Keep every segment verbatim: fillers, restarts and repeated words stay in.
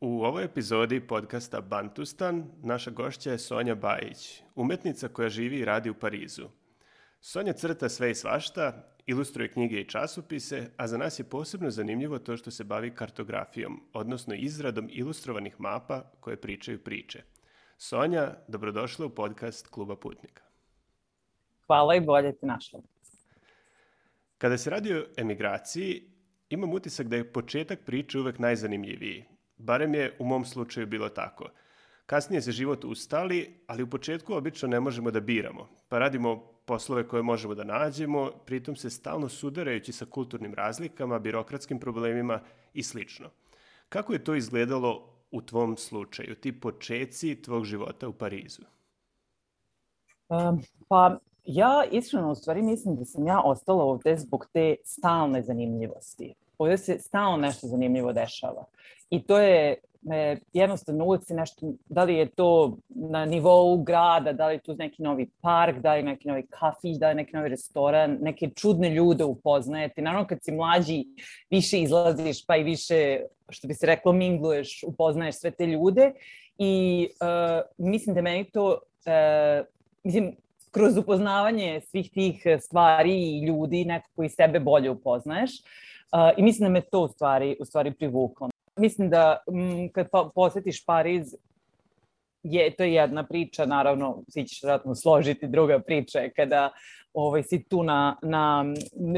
U ovoj epizodi podcasta Bantustan naša gošća je Sonja Bajić, umetnica koja živi i radi u Parizu. Sonja crta sve i svašta, ilustruje knjige i časopise, a za nas je posebno zanimljivo to što se bavi kartografijom, odnosno izradom ilustrovanih mapa koje pričaju priče. Sonja, dobrodošla u podcast Kluba Putnika. Hvala i bolje te našla. Kada se radi o emigraciji, imam utisak da je početak priče uvek najzanimljiviji. Barem je u mom slučaju bilo tako. Kasnije se život ustali, ali u početku obično ne možemo da biramo, pa radimo poslove koje možemo da nađemo, pritom se stalno sudarajući sa kulturnim razlikama, birokratskim problemima i slično. Kako je to izgledalo u tvom slučaju, ti počeci tvog života u Parizu? Um, pa ja iskreno u stvari mislim da sam ja ostala ovde zbog te stalne zanimljivosti. Ovdje se stalno nešto zanimljivo dešava. I to je e, jednostavno uvijek se nešto, da li je to na nivou grada, da li je tu neki novi park, da li je neki novi kafić, da li je neki novi restoran, neke čudne ljude upoznajete. Naravno kad si mlađi više izlaziš pa i više, što bi se reklo, mingluješ, upoznaješ sve te ljude. I e, mislim da meni to, e, mislim, kroz upoznavanje svih tih stvari i ljudi nekako i sebe bolje upoznaješ. Uh, I mislim da me to u stvari, u stvari privuklo. Mislim da m, kad pa, posjetiš Pariz, je to jedna priča, naravno, svi ćeš vjerojatno složiti, druga priča je kada ovaj, si tu na, na,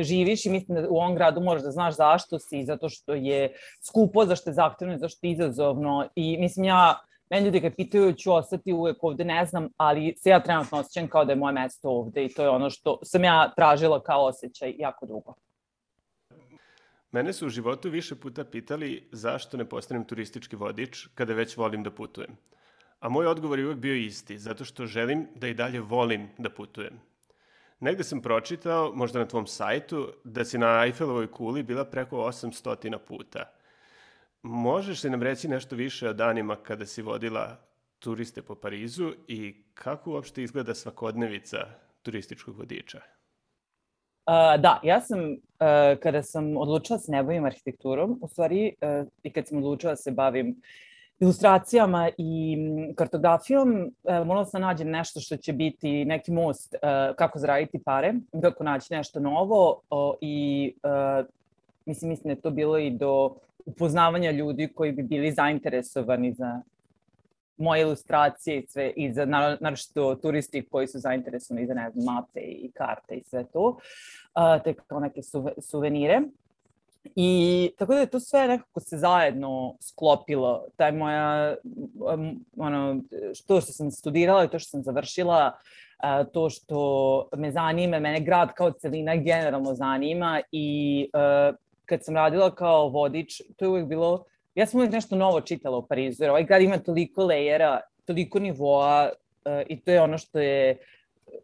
živiš i mislim da u ovom gradu moraš da znaš zašto si, zato što je skupo, zašto je zahtevno, zašto je izazovno. I mislim ja, meni ljudi kad pitaju ću ostati uvijek ovde, ne znam, ali se ja trenutno osjećam kao da je moje mesto ovde i to je ono što sam ja tražila kao osjećaj jako dugo. Mene su u životu više puta pitali zašto ne postanem turistički vodič kada već volim da putujem. A moj odgovor je uvek bio isti, zato što želim da i dalje volim da putujem. Negde sam pročitao, možda na tvom sajtu, da si na Eiffelovoj kuli bila preko osamsto puta. Možeš li nam reći nešto više o danima kada si vodila turiste po Parizu i kako uopšte izgleda svakodnevica turističkog vodiča? Uh, da, ja sam, uh, kada sam odlučila da se ne bavim arhitekturom, u stvari, uh, i kad sam odlučila da se bavim ilustracijama i kartografijom, uh, morala sam nađem nešto što će biti neki most uh, kako zaraditi pare, kako naći nešto novo uh, i uh, mislim, mislim da je to bilo i do upoznavanja ljudi koji bi bili zainteresovani za moje ilustracije i sve, i za naročito turisti koji su zainteresovani za, ne znam, mape i karte i sve to, uh, te kao neke suve, suvenire. I tako da je to sve nekako se zajedno sklopilo, taj moja, um, ono, to što sam studirala i to što sam završila, uh, to što me zanima, mene grad kao celina generalno zanima i uh, kad sam radila kao vodič, to je uvijek bilo, ja sam uvijek nešto novo čitala u Parizu, jer ovaj grad ima toliko lejera, toliko nivoa uh, i to je ono što je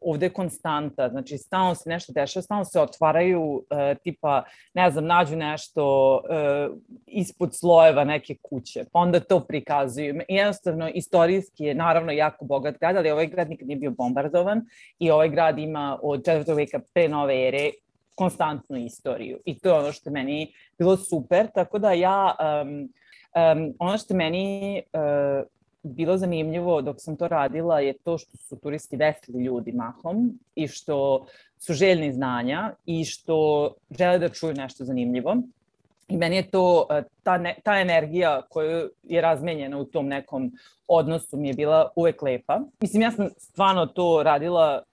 ovde konstanta, znači stalno se nešto dešava, stalno se otvaraju, uh, tipa, ne znam, nađu nešto uh, ispod slojeva neke kuće, pa onda to prikazuju. I jednostavno, istorijski je naravno jako bogat grad, ali ovaj grad nikad nije bio bombardovan i ovaj grad ima od četvrtog veka pre nove ere konstantnu istoriju. I to je ono što je meni bilo super, tako da ja, um, um, ono što je meni uh, bilo zanimljivo dok sam to radila je to što su turisti veseli ljudi mahom i što su željni znanja i što žele da čuju nešto zanimljivo. I meni je to, ta, ne, ta energija koja je razmenjena u tom nekom odnosu mi je bila uvek lepa. Mislim, ja sam stvarno to radila,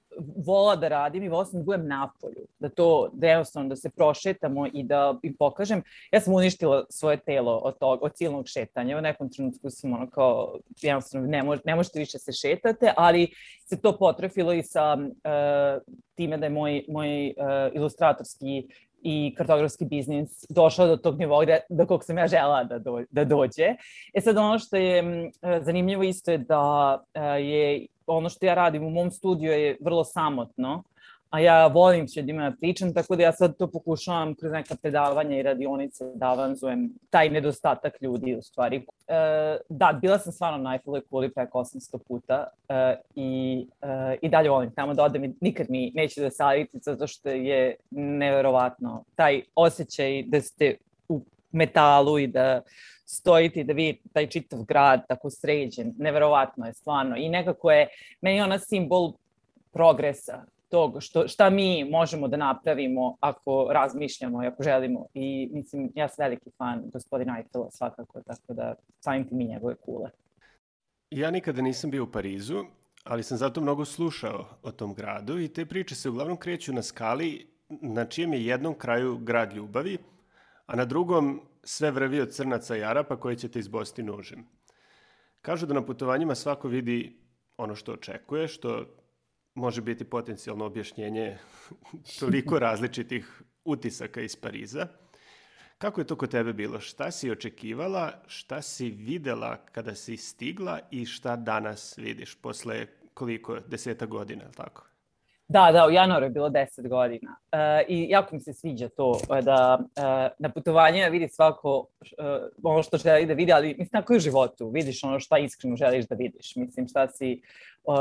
vola da radim i vola sam da budem napolju, da to, da jednostavno da se prošetamo i da im pokažem. Ja sam uništila svoje telo od tog, od silnog šetanja. U nekom trenutku sam ono kao, jednostavno ne, mož, ne možete više se šetate, ali se to potrefilo i sa uh, time da je moj, moj uh, ilustratorski i kartografski biznis došao do tog nivoa do kog sam ja žela da, do, da dođe. E sad ono što je uh, zanimljivo isto je da uh, je ono što ja radim u mom studiju je vrlo samotno, a ja volim s ljudima da pričam, tako da ja sad to pokušavam kroz neka predavanja i radionice da avanzujem taj nedostatak ljudi u stvari. E, da, bila sam stvarno na Eiffelovoj kuli preko osamsto puta e, i, e, i dalje volim tamo da odem i nikad mi neće da savjeti zato što je neverovatno taj osjećaj da ste u metalu i da stojite i da vidite taj čitav grad tako sređen, neverovatno je stvarno i nekako je meni ona simbol progresa tog što, šta mi možemo da napravimo ako razmišljamo i ako želimo. I mislim, ja sam veliki fan gospodina Eiffela svakako, tako da samim tim i njegove kule. Ja nikada nisam bio u Parizu, ali sam zato mnogo slušao o tom gradu i te priče se uglavnom kreću na skali na čijem je jednom kraju grad ljubavi, a na drugom sve vrvi od crnaca i Arapa koji će te izbosti nožem. Kažu da na putovanjima svako vidi ono što očekuje, što može biti potencijalno objašnjenje toliko različitih utisaka iz Pariza. Kako je to kod tebe bilo? Šta si očekivala, šta si videla kada si stigla i šta danas vidiš posle koliko, deseta godina, je li tako? Da, da, u januaru je bilo deset godina uh, i jako mi se sviđa to da uh, na putovanjima vidi svako uh, ono što želi da vidi, ali mislim tako i u životu, vidiš ono šta iskreno želiš da vidiš, mislim šta si, uh,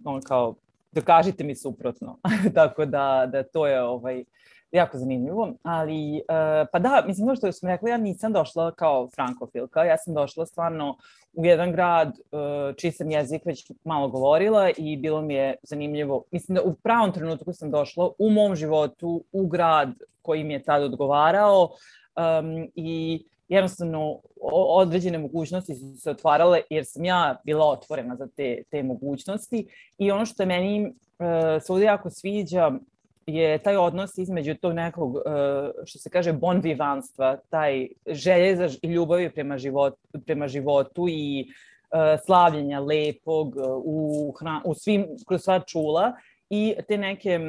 on kao, dokažite mi suprotno, tako da, da to je ovaj, jako zanimljivo, ali uh, pa da, mislim ono što sam rekla, ja nisam došla kao frankofilka, ja sam došla stvarno u jedan grad uh, čiji sam jezik već malo govorila i bilo mi je zanimljivo, mislim da u pravom trenutku sam došla u mom životu u grad koji mi je tad odgovarao um, i jednostavno određene mogućnosti su se otvarale jer sam ja bila otvorena za te, te mogućnosti i ono što je meni uh, se ovdje jako sviđa je taj odnos između tog nekog, što se kaže, bon vivanstva, taj želje za i ljubavi prema životu, prema životu i slavljenja lepog u, hra, u svim, kroz sva čula i te neke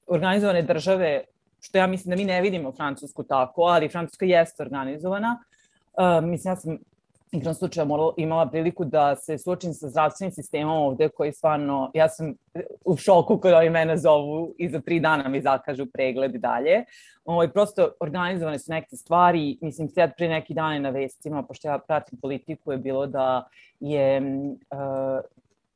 organizovane države, što ja mislim da mi ne vidimo Francusku tako, ali Francuska jeste organizovana. Mislim, ja sam igrom slučaja imala priliku da se suočim sa zdravstvenim sistemom ovde koji stvarno, ja sam u šoku kada oni mene zovu i za tri dana mi zakažu pregled i dalje. Ovo, prosto organizovane su neke stvari, mislim sad pre neki dane na vestima, pošto ja pratim politiku, je bilo da je uh,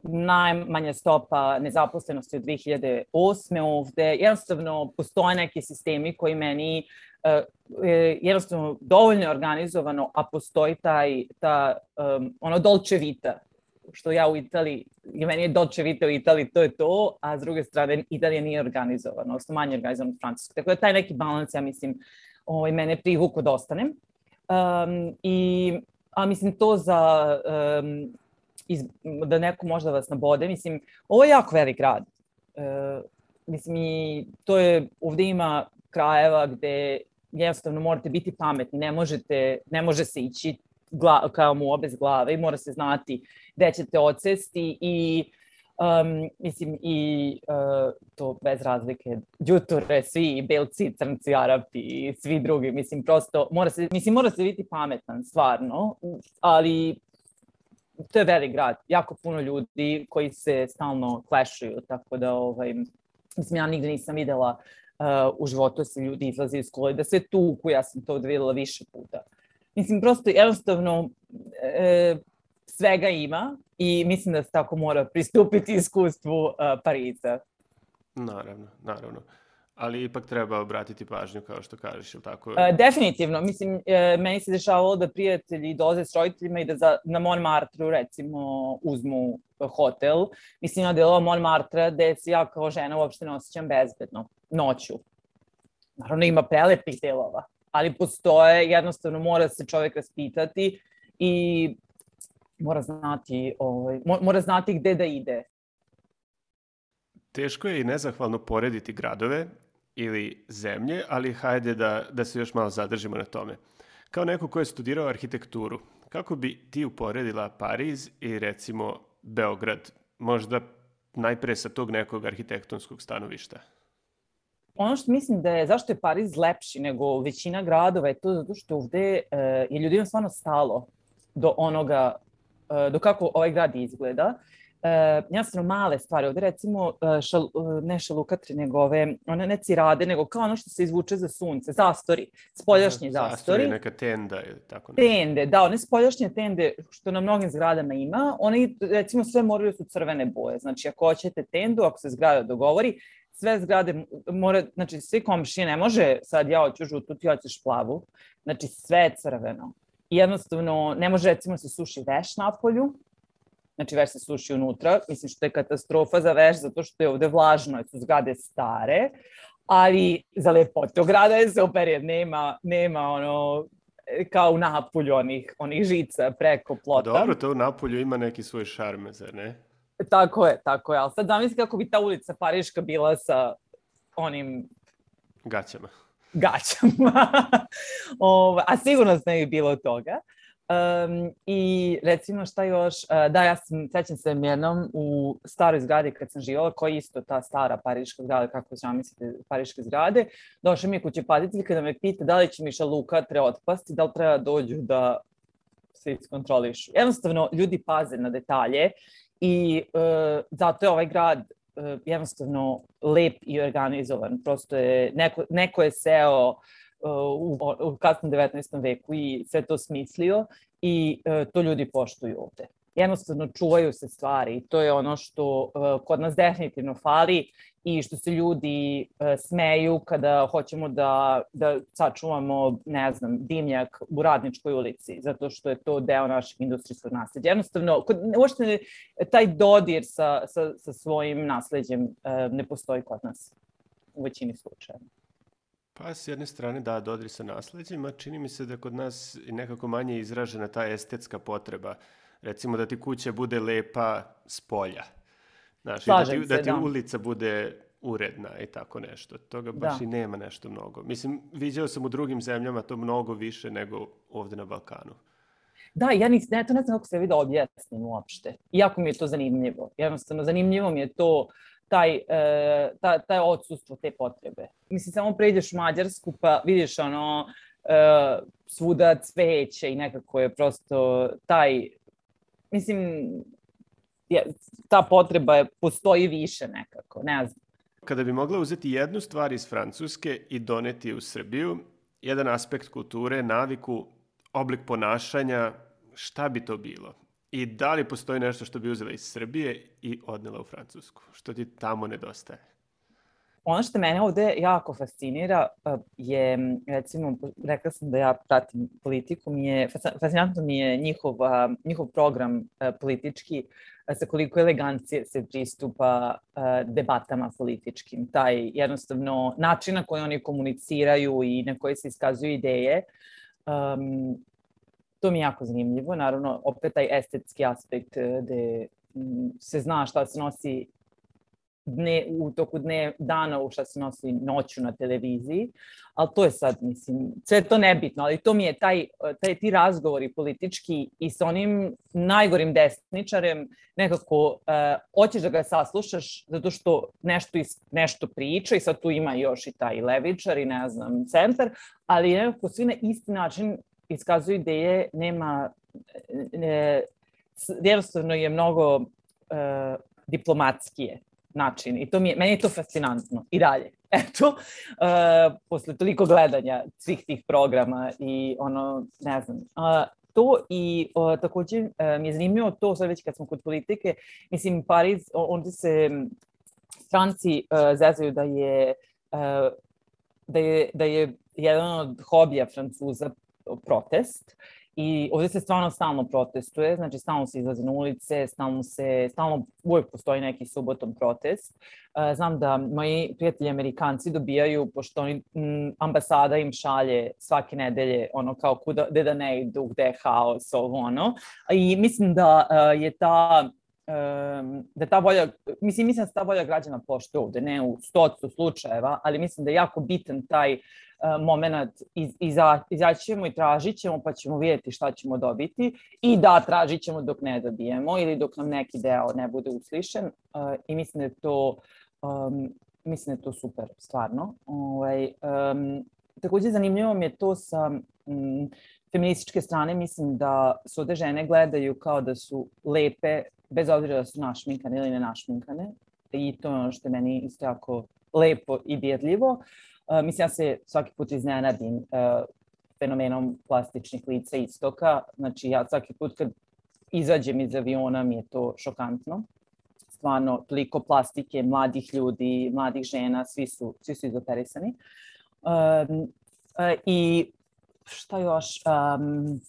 najmanja stopa nezaposlenosti od dve hiljade osme ovde. Jednostavno postoje neki sistemi koji meni Uh, jednostavno dovoljno je organizovano, a postoji taj, ta, um, ono dolce vita, što ja u Italiji, i meni je dolce vita u Italiji, to je to, a s druge strane Italija nije organizovana, odnosno manje organizovana u Francuskoj. Tako da taj neki balans, ja mislim, ovaj, mene privuko da ostanem. Um, i, a mislim to za, um, iz, da neko možda vas nabode, mislim, ovo je jako velik grad. Uh, mislim, i to je, ovdje ima krajeva gde jednostavno morate biti pametni, ne možete, ne može se ići gla, kao mu bez glave i mora se znati gde ćete odsesti i um, mislim i uh, to bez razlike đuture, svi belci, crnci, Arapi i svi drugi, mislim prosto mora se, mislim mora se biti pametan stvarno, ali to je velik grad, jako puno ljudi koji se stalno klešuju, tako da ovaj, mislim ja nigde nisam videla Uh, u životu se ljudi izlazi iz škole, da sve tuku, ja sam to videla više puta. Mislim, prosto jednostavno e, svega ima i mislim da se tako mora pristupiti iskustvu uh, Pariza. Naravno, naravno. Ali ipak treba obratiti pažnju, kao što kažeš, ili tako? Uh, definitivno. Mislim, e, meni se dešavalo da prijatelji dolaze s roditeljima i da za, na Montmartru, recimo, uzmu hotel. Mislim, na delova Montmartra gde se ja kao žena uopšte ne osjećam bezbedno noću. Naravno ima prelepih delova, ali postoje, jednostavno mora se čovjek raspitati i mora znati, ovaj, mora znati gde da ide. Teško je i nezahvalno porediti gradove ili zemlje, ali hajde da, da se još malo zadržimo na tome. Kao neko ko je studirao arhitekturu, kako bi ti uporedila Pariz i recimo Beograd, možda najpre sa tog nekog arhitektonskog stanovišta? Ono što mislim da je, zašto je Pariz lepši nego većina gradova je to zato što ovde uh, je ljudima stvarno stalo do onoga, uh, do kako ovaj grad izgleda. jednostavno male stvari. Ovde recimo, šal, ne šalukatre, nego ove, one ne cirade, nego kao ono što se izvuče za sunce, zastori, spoljašnji zastori. Zastori, neka tenda ili tako nešto. Tende, da, one spoljašnje tende što na mnogim zgradama ima, one recimo sve moraju su crvene boje. Znači, ako hoćete tendu, ako se zgrada dogovori, sve zgrade mora, znači svi komšije, ne može sad ja hoću žutu, ti hoćeš plavu, znači sve je crveno. I jednostavno ne može recimo se suši veš na polju, znači veš se suši unutra, mislim što je katastrofa za veš zato što je ovde vlažno, jer su zgrade stare, ali za lepotu grada je super jer nema, nema ono kao u Napulju onih, onih žica preko plota. Dobro, to u Napulju ima neki svoj šarm, zar ne? Tako je, tako je, ali sad zamisli kako bi ta ulica Pariška bila sa onim... Gaćama. Gaćama. o, a sigurno ne bi bilo toga. Um, I recimo šta još, uh, da ja sam, sećam se jednom u staroj zgradi kad sam živala, koja je isto ta stara pariška zgrada, kako zamislite pariške zgrade, došao mi je kućepatitelj kada me pita da li će mi šalukatre otpasti, da li treba dođu da se iskontrolišu. Jednostavno, ljudi paze na detalje i uh, zato je ovaj grad uh, jednostavno lep i organizovan. Prosto je, neko, neko je seo u, u kasnom devetnaestom veku i sve to smislio i uh, to ljudi poštuju ovde. Jednostavno čuvaju se stvari i to je ono što uh, kod nas definitivno fali i što se ljudi uh, smeju kada hoćemo da, da sačuvamo, ne znam, dimnjak u Radničkoj ulici, zato što je to deo našeg industrijskog nasleđa. Jednostavno, kod, uopšte taj dodir sa, sa, sa svojim nasleđem uh, ne postoji kod nas u većini slučajeva. Pa s jedne strane da, dodir sa nasleđima, čini mi se da kod nas nekako manje izražena ta estetska potreba. Recimo da ti kuća bude lepa s polja. Znaš, da ti, da ti ulica bude uredna i tako nešto. Toga baš da. I nema nešto mnogo. Mislim, viđao sam u drugim zemljama to mnogo više nego ovde na Balkanu. Da, ja nis, ne, to ne znam kako se vidi da objasnim uopšte. Iako mi je to zanimljivo. Jednostavno, zanimljivo mi je to taj, e, ta, taj odsustvo te potrebe. Mislim, samo pređeš u Mađarsku pa vidiš ono e, svuda cveće i nekako je prosto taj, mislim, je, ta potreba je, postoji više nekako, ne znam. Kada bi mogla uzeti jednu stvar iz Francuske i doneti je u Srbiju, jedan aspekt kulture, naviku, oblik ponašanja, šta bi to bilo? I da li postoji nešto što bi uzela iz Srbije i odnela u Francusku? Što ti tamo nedostaje? Ono što mene ovde jako fascinira je, recimo, rekla sam da ja pratim politiku, mi je, fascinantno mi je njihov, njihov program politički, sa koliko elegancije se pristupa debatama političkim. Taj jednostavno način na koji oni komuniciraju i na koji se iskazuju ideje, um, to mi je jako zanimljivo. Naravno, opet taj estetski aspekt gde se zna šta se nosi dne, u toku dne, dana, u šta se nosi noću na televiziji, ali to je sad, mislim, sve to nebitno, ali to mi je taj, taj ti razgovori politički i sa onim najgorim desničarem nekako uh, hoćeš da ga saslušaš zato što nešto, is, nešto priča i sad tu ima još i taj levičar i ne znam, centar, ali nekako svi na isti način iskazuju ideje, nema, ne, jednostavno je mnogo uh, diplomatskije način i to mi je, meni je to fascinantno i dalje. Eto, uh, posle toliko gledanja svih tih programa i ono, ne znam, uh, to i uh, takođe uh, mi je zanimljivo to, sad već kad smo kod politike, mislim, Pariz, onda se stranci uh, zezaju da je, uh, da je, da je jedan od hobija Francuza protest i ovdje se stvarno stalno protestuje, znači stalno se izlazi na ulice, stalno se, stalno uvijek postoji neki subotom protest. Znam da moji prijatelji Amerikanci dobijaju, pošto oni, m, ambasada im šalje svake nedelje, ono kao kuda, gde da ne idu, gde je haos, ovo ono. I mislim da je ta da ta volja, mislim, mislim da se ta volja građana poštuje ovde, ne u stotu slučajeva, ali mislim da je jako bitan taj uh, moment iz, iza, izaći ćemo i tražit ćemo pa ćemo vidjeti šta ćemo dobiti i da tražit ćemo dok ne dobijemo ili dok nam neki deo ne bude uslišen uh, i mislim da je to um, mislim da je to super, stvarno. Ovaj, um, takođe zanimljivo mi je to sa um, feminističke strane, mislim da se ovde žene gledaju kao da su lepe bez obzira da su našminkane ili ne našminkane. I to je ono što je meni isto jako lepo i dirljivo. Uh, mislim, ja se svaki put iznenadim uh, fenomenom plastičnih lica istoka. Znači, ja svaki put kad izađem iz aviona mi je to šokantno. Stvarno, toliko plastike, mladih ljudi, mladih žena, svi su, svi su izoperisani. Um, uh, I šta još? Um,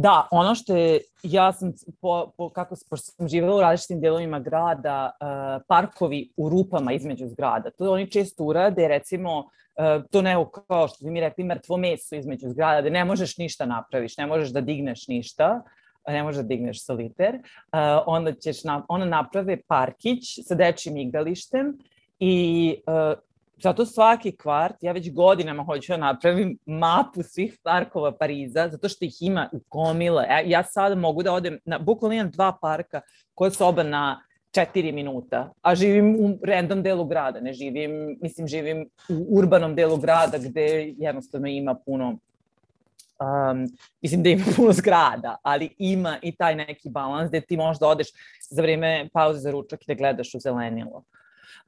Da, ono što je, ja sam, po, po, kako pošto sam živjela u različitim delovima grada, uh, parkovi u rupama između zgrada. To oni često urade, recimo, uh, to ne kao što bi mi rekli, mrtvo meso između zgrada, da ne možeš ništa napraviš, ne možeš da digneš ništa, ne možeš da digneš soliter, uh, onda ćeš na, ona naprave parkić sa dečjim igralištem i uh, zato svaki kvart, ja već godinama hoću da napravim mapu svih parkova Pariza, zato što ih ima u gomile. Ja sada mogu da odem, na, bukvalno imam dva parka koja su oba na četiri minuta, a živim u random delu grada, ne živim, mislim, živim u urbanom delu grada gde jednostavno ima puno, um, mislim da ima puno zgrada, ali ima i taj neki balans gde ti možda odeš za vreme pauze za ručak i da gledaš u zelenilo.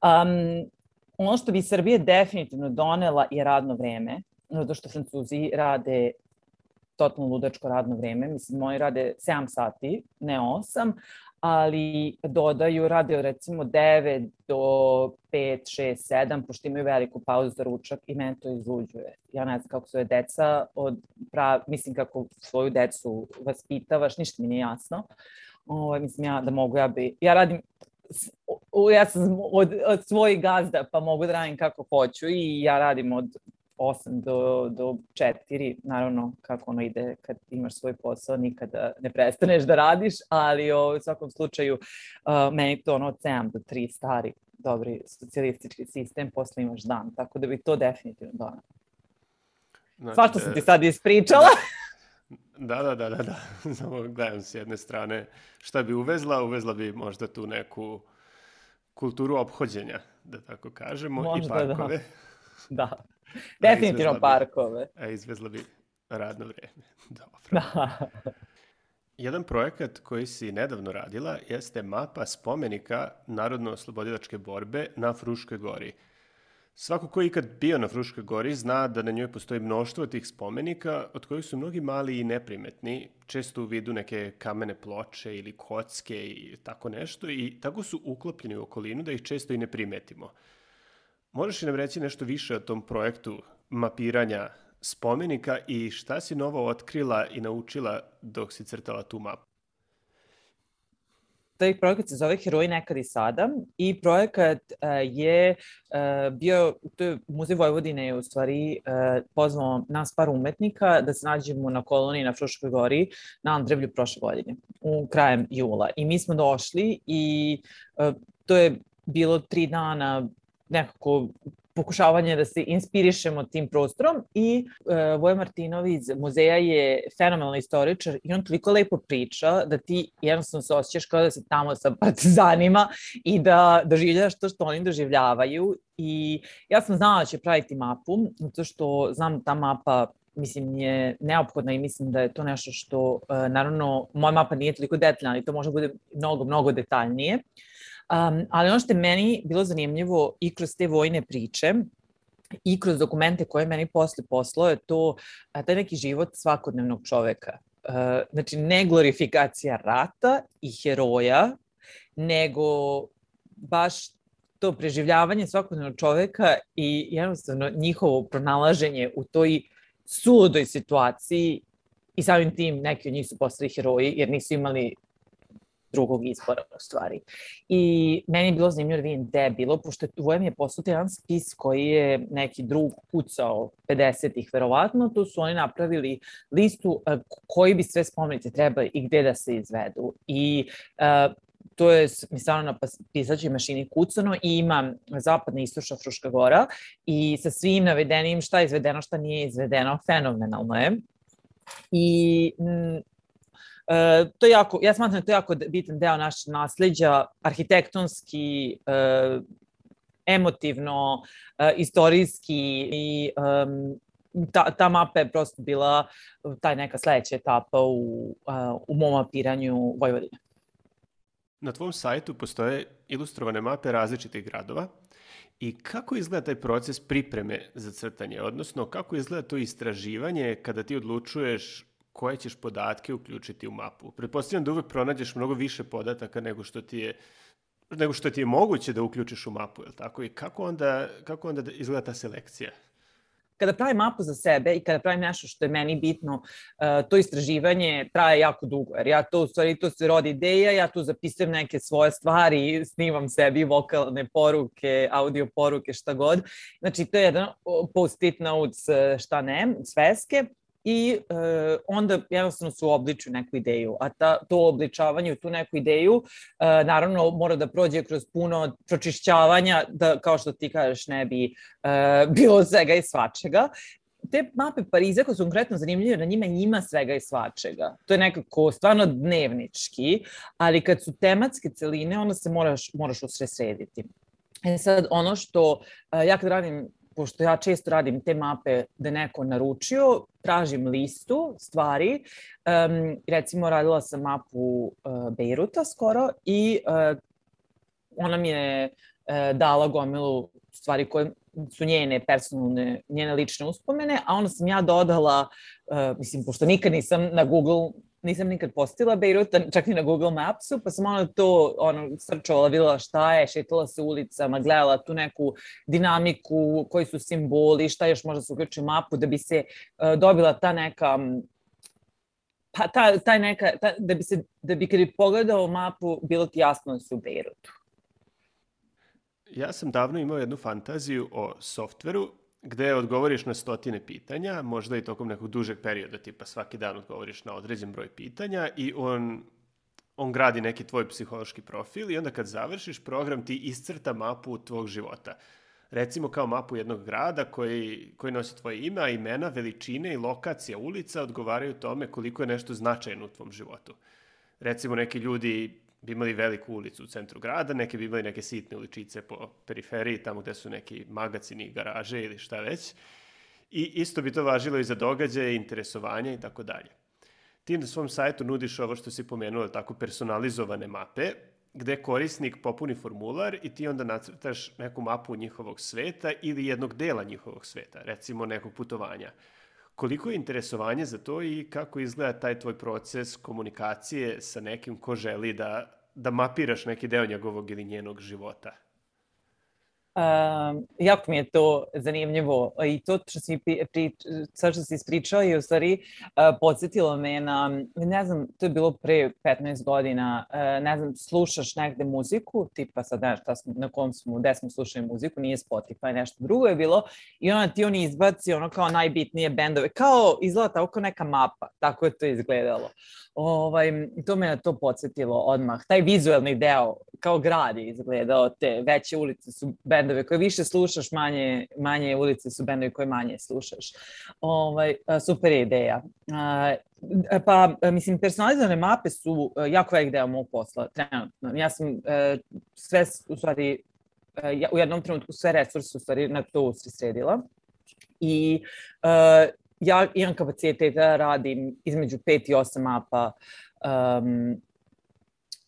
Um, Ono što bi Srbije definitivno donela je radno vreme, zato što Francuzi rade totalno ludačko radno vreme. Mislim, oni rade sedam sati, ne osam, ali dodaju, rade recimo devet do pet, šest, sedam, pošto imaju veliku pauzu za ručak i mene to izluđuje. Ja ne znam kako svoje deca, od prav, mislim kako svoju decu vaspitavaš, ništa mi nije jasno. O, mislim ja da mogu, ja bi, ja radim, ja sam od, od svojih gazda pa mogu da radim kako hoću i ja radim od osam do, do četiri, naravno kako ono ide kad imaš svoj posao, nikada ne prestaneš da radiš, ali o, u svakom slučaju uh, meni to ono od sedam do tri stari, dobri socijalistički sistem, posle imaš dan, tako da bi to definitivno donalo. Znači, svašta sam ti sad ispričala. Da, da, da, da, da. Samo gledam s jedne strane šta bi uvezla, uvezla bi možda tu neku kulturu ophođenja, da tako kažemo, možda, i parkove. Da, da. Definitivno parkove. A izvezla bi radno vreme. Dobro. Da. Jedan projekat koji si nedavno radila jeste mapa spomenika Narodno-oslobodilačke borbe na Fruškoj gori. Svako ko je ikad bio na Fruškoj gori zna da na njoj postoji mnoštvo tih spomenika, od kojih su mnogi mali i neprimetni, često u vidu neke kamene ploče ili kocke i tako nešto, i tako su uklopljeni u okolinu da ih često i ne primetimo. Možeš li nam reći nešto više o tom projektu mapiranja spomenika i šta si novo otkrila i naučila dok si crtala tu mapu? Taj projekat se zove Heroji nekad i sada i projekat uh, je uh, bio, to je Muzej Vojvodine je u stvari uh, pozvao nas par umetnika da se nađemo na koloniji na Fruškoj gori na Andrevlju prošle godine, u krajem jula. I mi smo došli i uh, to je bilo tri dana nekako pokušavanje da se inspirišemo tim prostorom i uh, Voja Martinov iz muzeja je fenomenalan istoričar i on toliko lepo priča da ti jednostavno se osjećaš kao da si tamo sa partizanima i da doživljavaš to što oni doživljavaju. I ja sam znala da će praviti mapu, zato što znam da ta mapa mislim je neophodna i mislim da je to nešto što, uh, naravno, moja mapa nije toliko detaljna, ali to može bude mnogo, mnogo detaljnije. Um, ali ono što je meni bilo zanimljivo i kroz te vojne priče i kroz dokumente koje meni posle poslao je to a, taj neki život svakodnevnog čoveka. Uh, znači, ne glorifikacija rata i heroja, nego baš to preživljavanje svakodnevnog čoveka i jednostavno njihovo pronalaženje u toj suludoj situaciji i samim tim neki od njih su postali heroji jer nisu imali drugog izbora u stvari. I meni je bilo zanimljivo da vidim gde je bilo, pošto Voja mi je poslao jedan spis koji je neki drug kucao pedesetih verovatno, tu su oni napravili listu koji bi sve spomenici trebali i gde da se izvedu. I uh, to je mi stvarno na pisaćoj mašini kucano i ima zapadna i istočna Fruška gora i sa svim navedenim šta je izvedeno, šta nije izvedeno, fenomenalno je. I m, Uh, to je jako, ja smatram da to je jako bitan deo našeg nasleđa, arhitektonski, uh, emotivno, uh, istorijski i um, ta, ta mapa je prosto bila taj neka sledeća etapa u, uh, u mom mapiranju Vojvodine. Na tvom sajtu postoje ilustrovane mape različitih gradova i kako izgleda taj proces pripreme za crtanje, odnosno kako izgleda to istraživanje kada ti odlučuješ koje ćeš podatke uključiti u mapu. Pretpostavljam da uvek pronađeš mnogo više podataka nego što ti je, nego što ti je moguće da uključiš u mapu, je li tako? I kako onda, kako onda izgleda ta selekcija? Kada pravim mapu za sebe i kada pravim nešto što je meni bitno, to istraživanje traje jako dugo, jer ja to, u stvari, to se rodi ideja, ja tu zapisujem neke svoje stvari, snimam sebi vokalne poruke, audio poruke, šta god. Znači, to je jedan post-it notes, šta ne, sveske. I e, onda jednostavno se uobličuju neku ideju, a ta, to obličavanje u tu neku ideju e, naravno mora da prođe kroz puno pročišćavanja da, kao što ti kažeš, ne bi e, bilo svega i svačega. Te mape Pariza koje su konkretno zanimljive, na njima ima svega i svačega. To je nekako stvarno dnevnički, ali kad su tematske celine, onda se moraš, moraš usredsrediti. E sad, ono što e, ja kad radim, pošto ja često radim te mape da je neko naručio, tražim listu stvari. Um, recimo, radila sam mapu uh, Bejruta skoro i uh, ona mi je uh, dala gomilu stvari koje su njene personalne, njene lične uspomene, a onda sam ja dodala, uh, mislim, pošto nikad nisam na Google nisam nikad postila Bejrut, čak i na Google Mapsu, pa sam ono to ono, srčovala, videla šta je, šetala se ulicama, gledala tu neku dinamiku, koji su simboli, šta još možda se uključi u mapu, da bi se uh, dobila ta neka, pa ta, taj neka, ta, da bi se, da bi kad bi pogledao mapu, bilo ti jasno da su u Bejrutu. Ja sam davno imao jednu fantaziju o softveru gde odgovoriš na stotine pitanja, možda i tokom nekog dužeg perioda, tipa svaki dan odgovoriš na određen broj pitanja i on, on gradi neki tvoj psihološki profil i onda kad završiš, program ti iscrta mapu tvog života. Recimo kao mapu jednog grada koji, koji nosi tvoje ime, a imena, veličine i lokacija ulica odgovaraju tome koliko je nešto značajno u tvom životu. Recimo neki ljudi bi imali veliku ulicu u centru grada, neki bi imali neke sitne uličice po periferiji, tamo gde su neki magacini, garaže ili šta već. I isto bi to važilo i za događaje, interesovanja i tako dalje. Ti na svom sajtu nudiš ovo što si pomenuo, tako personalizovane mape, gde korisnik popuni formular i ti onda nacrtaš neku mapu njihovog sveta ili jednog dela njihovog sveta, recimo nekog putovanja. Koliko je interesovanje za to i kako izgleda taj tvoj proces komunikacije sa nekim ko želi da, da mapiraš neki deo njegovog ili njenog života? Um, jako mi je to zanimljivo i to što si, pri, što si ispričao je u stvari uh, podsjetilo me na, ne znam, to je bilo pre petnaest godina, uh, ne znam, slušaš negde muziku, tipa sad ne znam na kom smo, gde smo slušali muziku, nije Spotify, nešto drugo je bilo i onda ti oni izbaci ono kao najbitnije bendove, kao izgleda tako kao neka mapa, tako je to izgledalo. Ovaj, to me na to podsjetilo odmah. Taj vizuelni deo, kao grad je izgledao, te veće ulice su bendove koje više slušaš, manje, manje ulice su bendovi koje manje slušaš. Ovaj, super je ideja. Pa, mislim, personalizovane mape su jako velik deo mog posla, trenutno. Ja sam sve, u stvari, u jednom trenutku sve resurse, u stvari, na to usredsredila. I ja imam kapacitet da radim između pet i osam mapa um,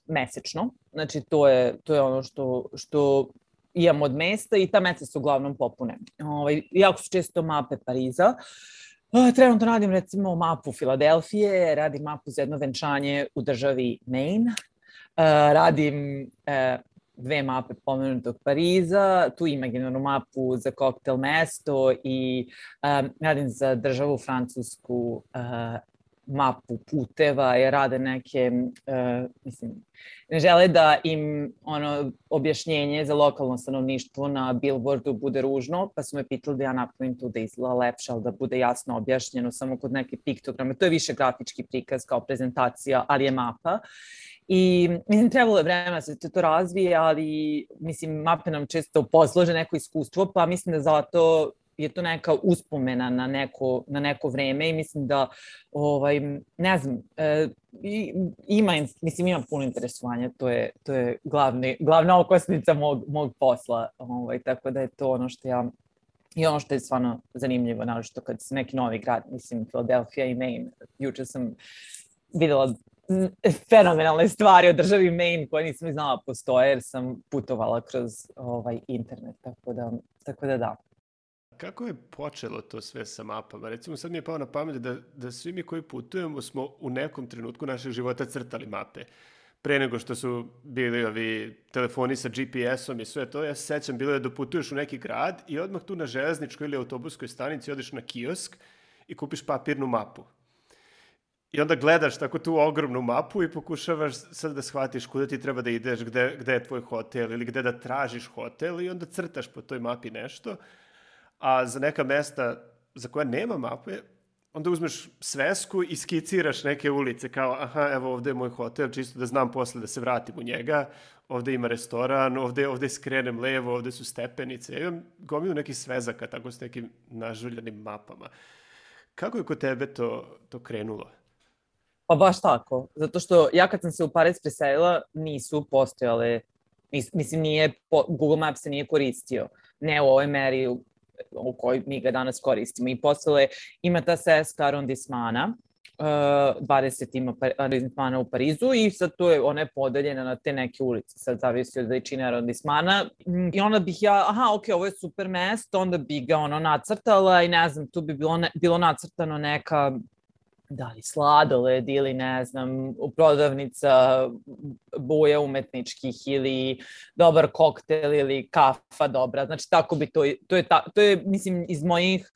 mesečno. Znači, to je, to je ono što, što imam od mesta i ta meseca se uglavnom popune. Ovaj, jako su često mape Pariza. Trenutno radim recimo mapu Filadelfije, radim mapu za jedno venčanje u državi Maine, radim dve mape pomenutog Pariza, tu imaginarnu mapu za koktel mesto i um, radim za državu Francusku uh, mapu puteva i rade neke, uh, mislim, ne žele da im ono objašnjenje za lokalno stanovništvo na billboardu bude ružno, pa su me pitali da ja napravim tu da izgleda lepše, ali da bude jasno objašnjeno samo kod neke piktograme. To je više grafički prikaz kao prezentacija, ali je mapa. I mislim, trebalo je vremena da se to razvije, ali mislim, mape nam često poslože neko iskustvo, pa mislim da zato je to neka uspomena na neko, na neko vreme i mislim da, ovaj, ne znam, e, ima, mislim, ima puno interesovanja, to je, to je glavni, glavna okosnica mog, mog posla, ovaj, tako da je to ono što ja, i ono što je stvarno zanimljivo, naročito kad se neki novi grad, mislim, Philadelphia i Maine, juče sam videla fenomenalne stvari o državi Maine koje nisam znala postoje jer sam putovala kroz ovaj internet, tako da, tako da da. Kako je počelo to sve sa mapama? Recimo sad mi je pao na pamet da, da svi mi koji putujemo smo u nekom trenutku našeg života crtali mape. Pre nego što su bili ovi telefoni sa G P S-om i sve to, ja se sećam bilo je da putuješ u neki grad i odmah tu na železničkoj ili autobuskoj stanici odeš na kiosk i kupiš papirnu mapu. I onda gledaš tako tu ogromnu mapu i pokušavaš sad da shvatiš kuda ti treba da ideš, gde, gde je tvoj hotel ili gde da tražiš hotel i onda crtaš po toj mapi nešto. A za neka mesta za koja nema mape, onda uzmeš svesku i skiciraš neke ulice, kao, aha, evo ovde je moj hotel, čisto da znam posle da se vratim u njega, ovde ima restoran, ovde, ovde skrenem levo, ovde su stepenice. Ja imam gomilu nekih svezaka, tako s nekim nažuljanim mapama. Kako je kod tebe to, to krenulo? Pa baš tako, zato što ja kad sam se u Pariz preselila, nisu postojale, mislim, nije, Google Maps se nije koristio, ne u ovoj meri u, u kojoj mi ga danas koristimo. I posle ima ta seska arondismana, dvadeset ima arondismana u Parizu i sad to je, ona je podeljena na te neke ulice, sad zavisi od veličine arondismana. I onda bih ja, aha, ok, ovo je super mesto, onda bih ga ono nacrtala i ne znam, tu bi bilo, ne, bilo nacrtano neka, da li sladoled ili ne znam, prodavnica boja umetničkih ili dobar koktel ili kafa dobra. Znači tako bi to, to je, ta, to je mislim iz mojih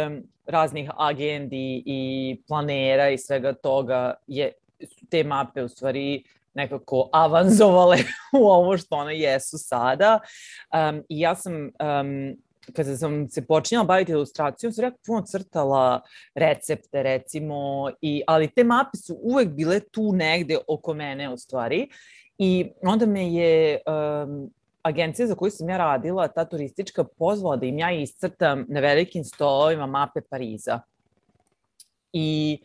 um, raznih agendi i planera i svega toga je te mape u stvari nekako avanzovale u ovo što one jesu sada. Um, I ja sam um, kada sam se počinjala baviti ilustracijom, sam jako puno crtala recepte, recimo, i, ali te mape su uvek bile tu negde oko mene, u stvari. I onda me je um, agencija za koju sam ja radila, ta turistička, pozvala da im ja iscrtam na velikim stolovima mape Pariza. I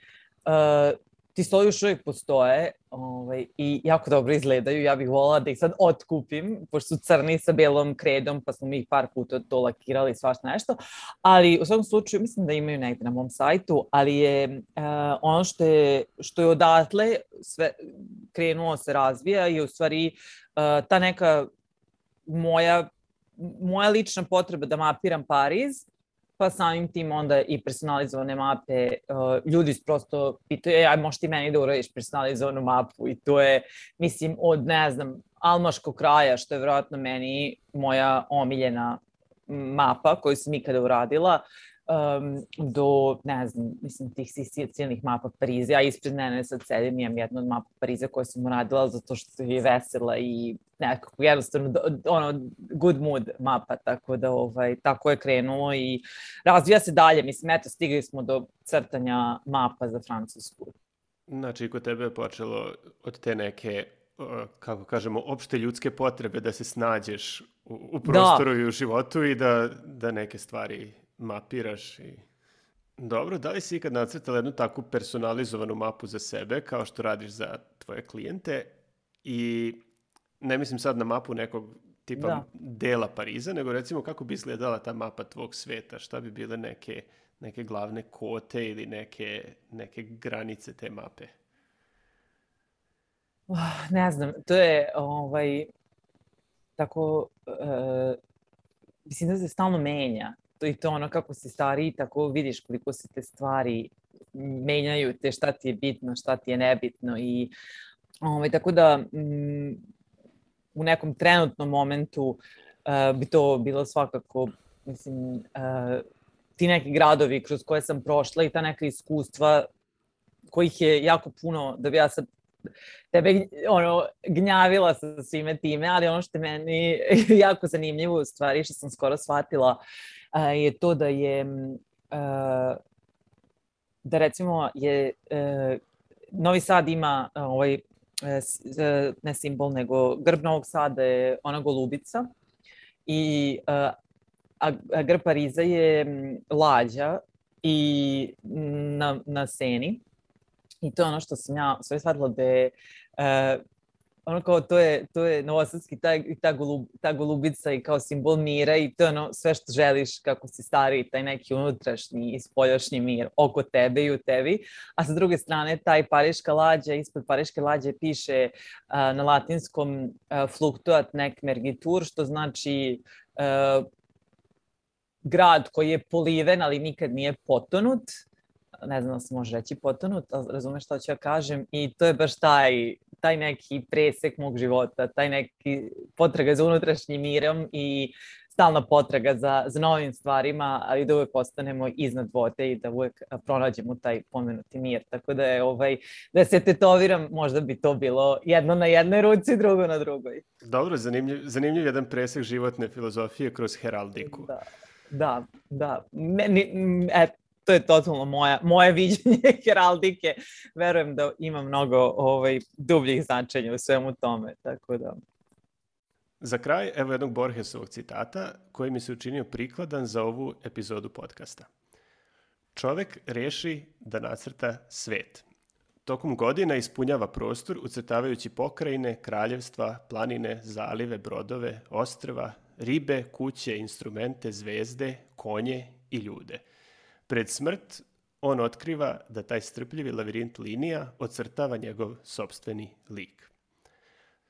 uh, ti stolovi još uvijek postoje ovaj, i jako dobro izgledaju. Ja bih voljela da ih sad otkupim, pošto su crni sa belom kredom, pa smo mi ih par puta to lakirali i svašta nešto. Ali u svakom slučaju, mislim da imaju negde na mom sajtu, ali je uh, ono što je, što je odatle sve krenuo se razvija i u stvari uh, ta neka moja, moja lična potreba da mapiram Pariz, pa samim tim onda i personalizovane mape, uh, ljudi prosto pitaju, aj možeš ti meni da uradiš personalizovanu mapu i to je, mislim, od, ne znam, almaškog kraja, što je vjerojatno meni moja omiljena mapa koju sam ikada uradila, um, do, ne znam, mislim, tih silnih mapa Pariza. Ja ispred mene sad sedim, imam jednu od mapa Pariza koju sam uradila zato što je vesela i nekako jednostavno ono, good mood mapa, tako da ovaj, tako je krenulo i razvija se dalje. Mislim, eto, stigli smo do crtanja mapa za Francusku. Znači, kod tebe je počelo od te neke, kako kažemo, opšte ljudske potrebe da se snađeš u, u prostoru da. I u životu i da, da neke stvari mapiraš. I... Dobro, da li si ikad nacrtala jednu takvu personalizovanu mapu za sebe, kao što radiš za tvoje klijente? I ne mislim sad na mapu nekog tipa da. Dela Pariza, nego recimo kako bi izgledala ta mapa tvog sveta, šta bi bile neke, neke glavne kote ili neke, neke granice te mape? Uh, ne znam, to je ovaj, tako, uh, mislim da se stalno menja. To i to ono kako si stariji, tako vidiš koliko se te stvari menjaju, te šta ti je bitno, šta ti je nebitno i ovaj, tako da mm, u nekom trenutnom momentu uh, bi to bilo svakako, mislim, uh, ti neki gradovi kroz koje sam prošla i ta neka iskustva kojih je jako puno, da bi ja sad tebe ono, gnjavila sa svime time, ali ono što je meni jako zanimljivo u stvari, što sam skoro shvatila, uh, je to da je, uh, da recimo je, uh, Novi Sad ima uh, ovaj, ne simbol, nego grb Novog Sada je ona golubica i a, a grb Pariza je lađa i na, na Seni. I to je ono što sam ja sve shvatila da je uh, ono kao to je, to je novosadski, ta, ta, golub, ta golubica i kao simbol mira i to je ono sve što želiš kako si stariji, taj neki unutrašnji i spoljašnji mir oko tebe i u tebi. A sa druge strane, taj pariška lađa, ispod pariške lađe piše uh, na latinskom uh, fluctuat nec mergitur, što znači uh, grad koji je poliven, ali nikad nije potonut. Ne znam da se može reći potonut, ali razumeš što ću ja kažem. I to je baš taj, taj neki presek mog života, taj neki potraga za unutrašnjim mirom i stalna potraga za, za novim stvarima, ali da uvek ostanemo iznad vode i da uvek pronađemo taj pomenuti mir. Tako da je ovaj, da se tetoviram, možda bi to bilo jedno na jednoj ruci, drugo na drugoj. Dobro, zanimljiv, zanimljiv jedan presek životne filozofije kroz heraldiku. Da, da, da. Meni, et, to je totalno moja, moje viđenje heraldike. Verujem da ima mnogo ovaj, dubljih značenja u svemu tome. Tako da... Za kraj, evo jednog Borgesovog citata koji mi se učinio prikladan za ovu epizodu podcasta. Čovek reši da nacrta svet. Tokom godina ispunjava prostor ucrtavajući pokrajine, kraljevstva, planine, zalive, brodove, ostrva, ribe, kuće, instrumente, zvezde, konje i ljude. Pred smrt on otkriva da taj strpljivi lavirint linija ocrtava njegov sopstveni lik.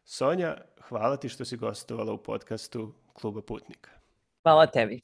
Sonja, hvala ti što si gostovala u podcastu Kluba putnika. Hvala tebi.